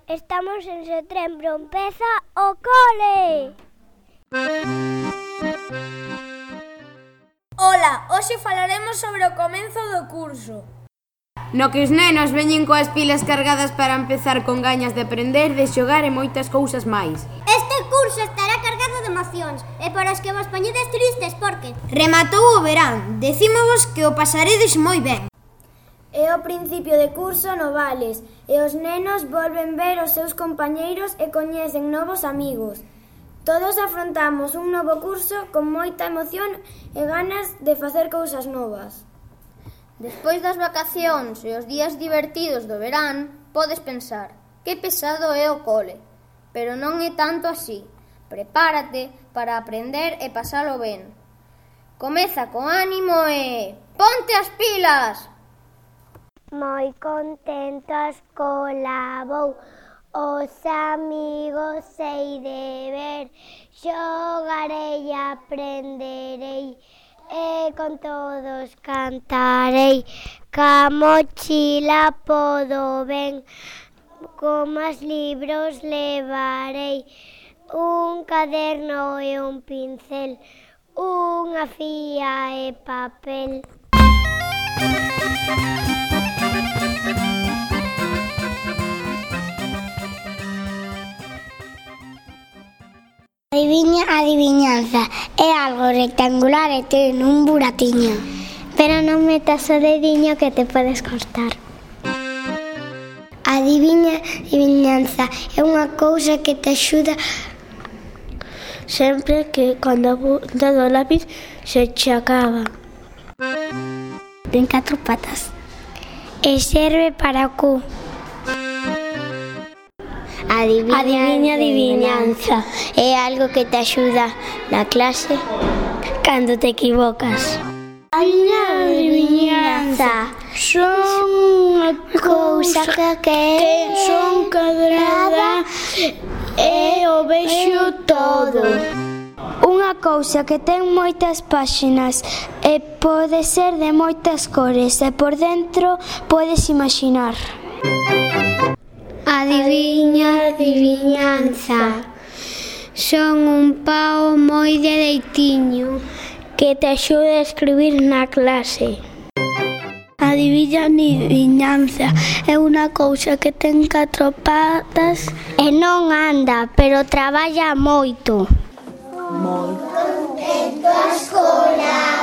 Estamos en setembro, empeza o cole! Ola, hoxe falaremos sobre o comenzo do curso. No que os nenos veñen coas pilas cargadas para empezar con gañas de aprender, de xogar e moitas cousas máis. Este curso estará cargado de emocións e para os que vos poñedes tristes porque rematou o verán, decímovos que o pasaredes moi ben. É o principio de curso no Vales e os nenos volven ver os seus compañeiros e coñecen novos amigos. Todos afrontamos un novo curso con moita emoción e ganas de facer cousas novas. Despois das vacacións e os días divertidos do verán, podes pensar, que pesado é o cole, pero non é tanto así. Prepárate para aprender e pasalo ben. Comeza con ánimo e ponte as pilas! Moi contento a escola vou, os amigos hei de ver, xogarei e aprenderei, e con todos cantarei, ca mochila podo ben, con máis libros levarei, un caderno e un pincel, unha fía e papel. Adivinanza é algo rectangular e ten un buratiño, pero non metas o dediño que te podes cortar. Adivinanza é unha cousa que te axuda sempre que cando apuntas o lápiz se che acaba. Ten 4 patas e serve para o cu. Adivinanza é algo que te axuda na clase cando te equivocas. Adivinanza son unha cousa que son cadrada e o vexo todo. Unha cousa que ten moitas páxinas e pode ser de moitas cores e por dentro podes imaxinar. Adivinanza son un pao moi dereitiño que te axuda a escribir na clase. Adivinanza é unha cousa que ten 4 patas e non anda, pero traballa moito. moi contento a escola.